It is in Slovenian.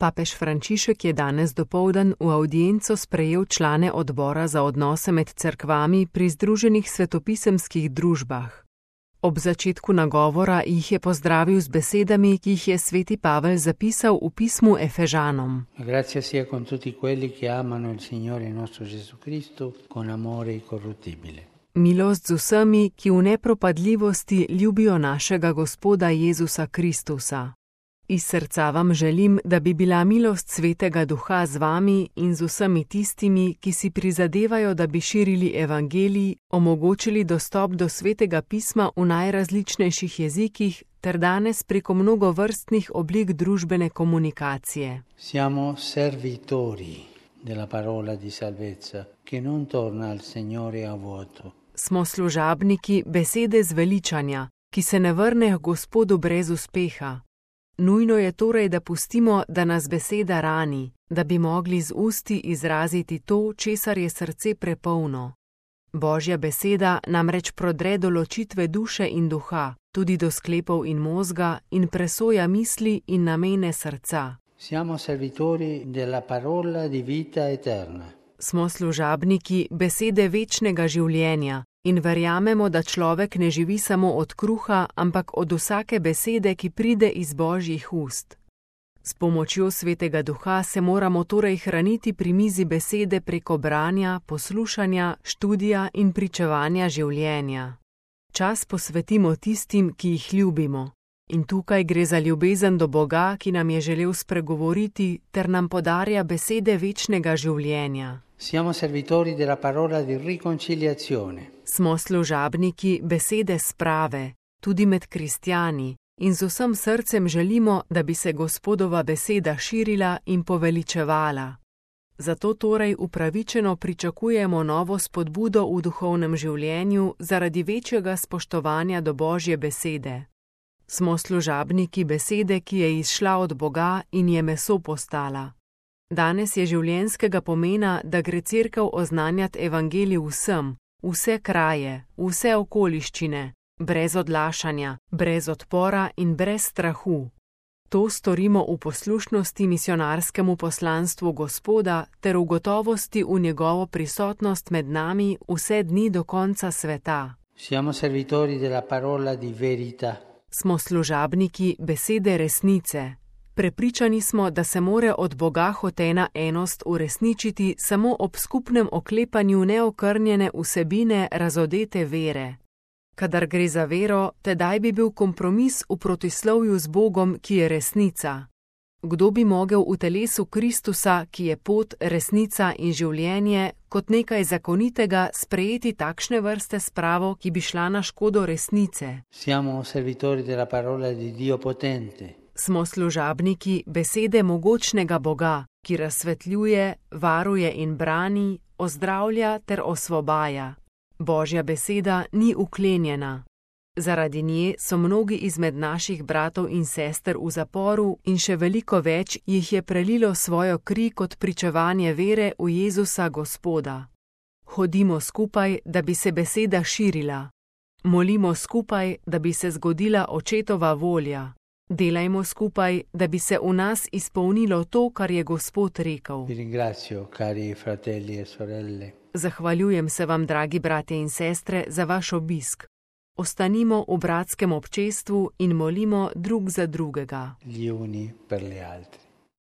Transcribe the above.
Papež Frančišek je danes dopoldan v avdienco sprejel člane odbora za odnose med cerkvami pri Združenih svetopisemskih družbah. Ob začetku nagovora jih je pozdravil z besedami, ki jih je sveti Pavel zapisal v pismu Efežanom. Grazia sia con tutti quelli che amano il Signore nostro Gesù Cristo con amore incorruttibile. Milost z vsemi, ki v nepropadljivosti ljubijo našega Gospoda Jezusa Kristusa. Iz srca vam želim, da bi bila milost Svetega Duha z vami in z vsemi tistimi, ki si prizadevajo, da bi širili evangelij, omogočili dostop do Svetega pisma v najrazličnejših jezikih ter danes preko mnogovrstnih oblik družbene komunikacije. Siamo servitori della parola di salvezza, che non torna al Signore a vuoto. Smo služabniki besede zveličanja, ki se ne vrne k Gospodu brez uspeha. Nujno je torej, da pustimo, da nas beseda rani, da bi mogli z usti izraziti to, česar je srce prepolno. Božja beseda namreč prodre do ločitve duše in duha, tudi do sklepov in možga in presoja misli in namene srca. Siamo servitori della parola di vita eterna. Smo služabniki besede večnega življenja. In verjamemo, da človek ne živi samo od kruha, ampak od vsake besede, ki pride iz Božjih ust. S pomočjo Svetega Duha se moramo torej hraniti pri mizi besede preko branja, poslušanja, študija in pričevanja življenja. Čas posvetimo tistim, ki jih ljubimo. In tukaj gre za ljubezen do Boga, ki nam je želel spregovoriti ter nam podarja besede večnega življenja. Siamo servitori della parola di riconciliazione. Smo služabniki besede sprave, tudi med kristjani, in z vsem srcem želimo, da bi se Gospodova beseda širila in poveličevala. Zato torej upravičeno pričakujemo novo spodbudo v duhovnem življenju zaradi večjega spoštovanja do Božje besede. Smo služabniki besede, ki je izšla od Boga in je meso postala. Danes je življenjskega pomena, da gre cerkev oznanjati evangelij vsem, vse kraje, vse okoliščine, brez odlašanja, brez odpora in brez strahu. To storimo v poslušnosti misionarskemu poslanstvu Gospoda ter v gotovosti v njegovo prisotnost med nami vse dni do konca sveta. Siamo servitori della parola di verità. Smo služabniki besede resnice. Prepričani smo, da se more od Boga hotena enost uresničiti samo ob skupnem oklepanju neokrnjene vsebine razodete vere. Kadar gre za vero, tedaj bi bil kompromis v protislovju z Bogom, ki je resnica. Kdo bi mogel v telesu Kristusa, ki je pot, resnica in življenje, kot nekaj zakonitega sprejeti takšne vrste spravo, ki bi šla na škodo resnice? Siamo servitori della parola di Dio potente. Smo služabniki besede mogočnega Boga, ki razsvetljuje, varuje in brani, ozdravlja ter osvobaja. Božja beseda ni uklenjena. Zaradi nje so mnogi izmed naših bratov in sester v zaporu in še veliko več jih je prelilo svojo kri kot pričevanje vere v Jezusa Gospoda. Hodimo skupaj, da bi se beseda širila. Molimo skupaj, da bi se zgodila Očetova volja. Delajmo skupaj, da bi se v nas izpolnilo to, kar je Gospod rekel. Vi ringrazio, cari fratelli e sorelle. Zahvaljujem se vam, dragi bratje in sestre, za vaš obisk. Ostanimo v bratskem občestvu in molimo drug za drugega. Gli uni per gli altri.